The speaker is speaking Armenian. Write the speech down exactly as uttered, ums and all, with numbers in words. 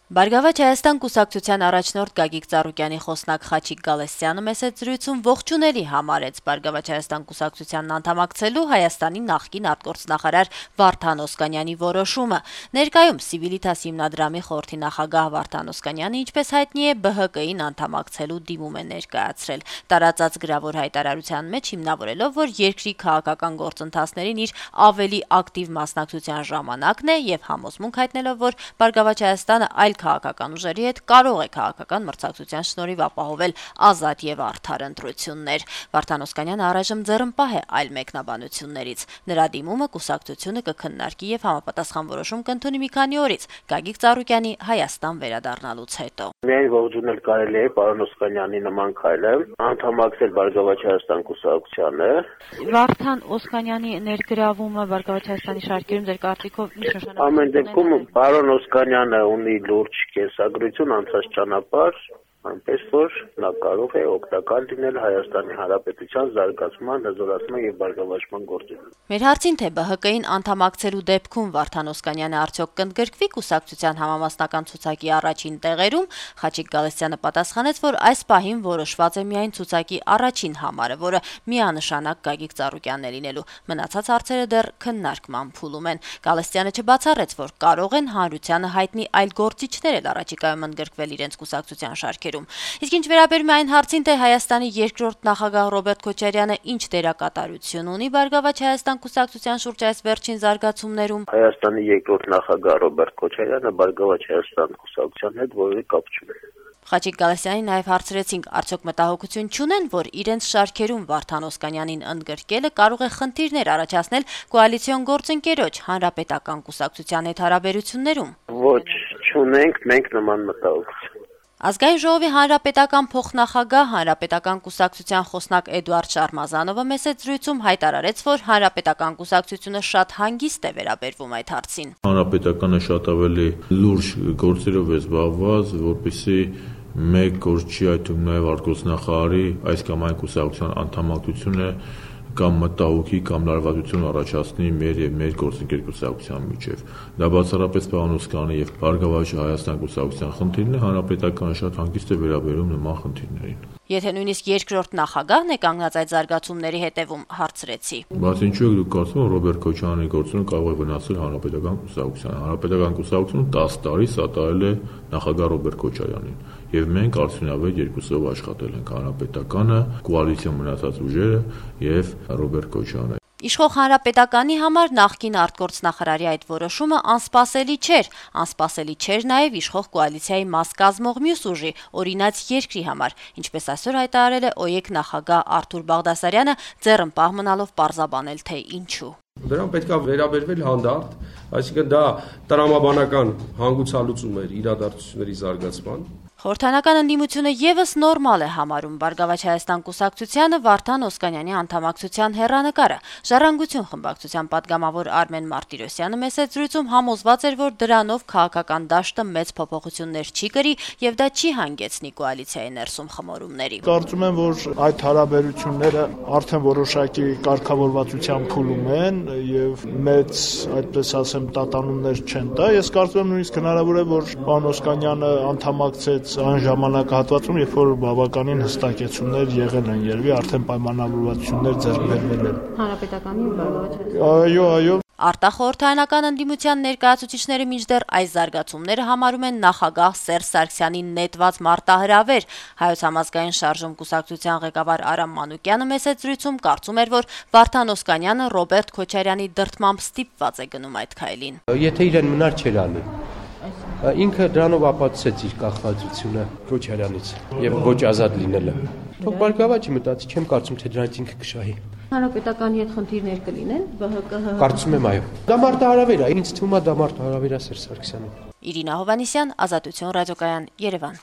Բարգավաճ Հայաստան կուսակցության առաջնորդ Գագիկ Ծառուկյանի խոսնակ Խաչիկ Գալստյանը մեծ զրույցում ողջունելի համարեց Բարգավաճ Հայաստան կուսակցությանն անդամակցելու Հայաստանի նախկին արտգործնախարար Վարդան Օսկանյանի որոշումը։ Ներկայում Civitas հիմնադրամի խորհրդի նախագահ Վարդան Օսկանյանը, ինչպես հայտնի է, B H K-ին անդամակցելու դիմում է ներկայացրել։ Տարածած գրավոր հայտարարության մեջ հիմնավորելով, որ երկրի քաղաքական գործընթացներին իր ավելի ակտիվ մասնակցության ժամանակն է եւ համոզմունք հայտնելով, որ Բարգավաճ Հայաստանը այլ քաղաքական ուժերի հետ կարող է քաղաքական մրցակցության շնորհիվ ապահովել ազատ եւ արդար ընտրություններ։ Վարդան Օսկանյանը առայժմ ձեռնպահ է այլ մեկնաբանություններից։ Նրա դիմումը կուսակցությունը կքննարկի եւ համապատասխան որոշում կընդունի մի քանի օրից Գագիկ Ծառուկյանի Հայաստան վերադառնալուց հետո։ Միայն ողջունել կարելի է պարոն Օսկանյանի նման քայլը, անդամակցել Բարգավաճ Հայաստան կուսակցությանը։ Վարդան Օսկանյանի ներգրավումը Բարգավաճ Հայաստանի շարքերում ձեր կարծիքով ինչ նշանակություն ունի։ Ամեն դեպքում պարոն Օսկանյանը ունի լուրջ կենսագրություն, անցած ճանապարհ, այնպես որ նա կարող է օգտակար լինել Հայաստանի Հանրապետության զարգացման, հզորացման եւ բարգավաճման գործում։ Մեր հարցին թե B H K-ին անդամակցելու դեպքում Վարդան Օսկանյանը արդյոք կընդգրկվի կուսակցության համամասնական ցուցակի առաջին տեղերում, Խաչիկ Գալստյանը պատասխանեց, որ այս պահին որոշված է միայն ցուցակի առաջին համարը, որը միանշանակ Գագիկ Ծառուկյանն է լինելու։ Մնացած հարցերը դեռ քննարկման փուլում են։ Գալստյանը չբացառեց, որ կարող են հանրությանը հայտնի այլ գործիչներ էլ առաջիկայում ընդգրկվել իրենց կուսակցության շարքերում։ Իսկ ինչ վերաբերում է այն հարցին, թե Հայաստանի երկրորդ նախագահ Ռոբերտ Քոչարյանը ինչ դերակատարություն ունի Բարգավաճ Հայաստան կուսակցության շուրջ այս վերջին զարգացումներում, Հայաստանի երկրորդ նախագահ Ռոբերտ Քոչարյանը Բարգավաճ Հայաստան կուսակցության հետ որևէ կապ չունի։ Խաչիկ Գալստյանին նաև հարցրեցինք, արդյոք մտահոգություն չունեն, որ իրենց շարքերում Վարդան Օսկանյանին ընդգրկելը կարող է խնդիրներ առաջացնել կոալիցիոն գործընկերոջ Հանրապետական կուսակցության հետ հարաբերություններում։ Ոչ, չունենք մենք նման մտահոգություն։ Ազգային ժողովի հանրապետական փոխնախագահ Հանրապետական կուսակցության խոսնակ Էդուարդ Շարմազանովը մեծ զրույցում հայտարարեց, որ Հանրապետական կուսակցությունը շատ հանգիստ է վերաբերվում այդ հարցին։ Հանրապետականը շատ ավելի լուրջ գործերով է զբաղված, որպեսզի մեկ գործչի, այդ թվում նաև արտգործնախարարի այս կամ այն կուսակցության անդամակցությունը կամ մտահոգի կամ լարվածություն առաջացնի մեր եւ մեր գործընկեր կուսակցության միջեւ։ Դա բացառապես պարոն Օսկանյանի եւ Բարգավաճ Հայաստան կուսակցության խնդիրն է, հանրապետականը շատ հանգիստ է վերաբերում նման խնդիրներին։ Եթե նույնիսկ երկրորդ նախագահն է կանգնած այդ զարգացումների հետևում, հարցրեցի։ Բայց ինչու եք դուք կարծում, որ Ռոբերտ Քոչարյանի գործունեությունը կարող է վնասել հանրապետական կուսակցությանը։ Հանրապետական կուսակցությունը տասը տարի սատարել է նախագահ Ռոբերտ Քոչարյանին, եւ մենք արդյունավետ երկուսով աշխատել ենք հանրապետականը, կոալիցիոն մնացած ուժերը եւ Ռոբերտ Քոչարյանը։ Իշխող Հանրապետականի համար նախկին արտգործնախարարի այդ որոշումը անսպասելի չէր, անսպասելի չէր նաև իշխող կոալիցիայի մաս կազմող մյուս ուժի, օրինաց երկրի համար, ինչպես այսօր հայտարարել է ՕԵԿ նախագահ Արթուր Բաղդասարյանը, ձեռնպահ մնալով պարզաբանել, թե ինչու։ Դրան պետք է վերաբերվել հանդարտ, այսինքն դա տրամաբանական հանգուցալուծում էր իրադարձությունների զարգացման։ Խորհրդանական ընդդիմությունը եւս նորմալ է համարում Բարգավաճ Հայաստան կուսակցությանը Վարդան Օսկանյանի անդամակցության հեռանկարը։ Ժառանգություն խմբակցության падգամավոր Արմեն Մարտիրոսյանը մեծ զրույցում համոզված էր, որ դրանով քաղաքական դաշտը մեծ փոփոխություններ չի կրի եւ դա չի հանգեցնի կոալիցիայի ներսում խմորումների։ Կարծում եմ, որ այդ հարաբերությունները արդեն որոշակի կարգավորվածության փուլում են եւ մեծ, այդպես ասեմ, տատանումներ չեն տա։ Ես կարծում եմ նույնիսկ հնարավոր է, որ պարոն Օսկանյանը անդամակցեց այն ժամանակահատվածում, երբ որ բավականին հստակեցումներ եղել են, երևի արդեն պայմանավորվածություններ ձեռք բերվել են։ Հանրապետականի ու Բարգավաճ։ Այո, այո։ Արտախորհրդարանական ընդդիմության ներկայացուցիչները մինչդեռ այս զարգացումները համարում են նախագահ Սերժ Սարգսյանի նետված մարտահրավեր։ Հայոց համազգային շարժում կուսակցության ղեկավար Արամ Մանուկյանը մեծ զրույցում կարծում էր, որ Վարդան Օսկանյանը Ռոբերտ Քոչարյանի դրդմամբ ստիպված է գնում այդ քայլին։ Եթե իրեն մնար չէր անի։ Ինքը դրանով ապացուցեց իր կախվածությունը Քոչարյանից եւ ոչ ազատ լինելը։ Թող Բարգավաճը մտածի, չեմ կարծում, թե դրանից ինքը կշահի։ Հանրապետականի հետ խնդիրներ կլինեն B H K։ Կարծում եմ, այո։ Դա մարտահրավեր է, ինձ թվում է դա մարտահրավեր է Սերժ Սարգսյանին։ Իրինա Հովհաննիսյան, Ազատություն ռադիոկայան, Երևան։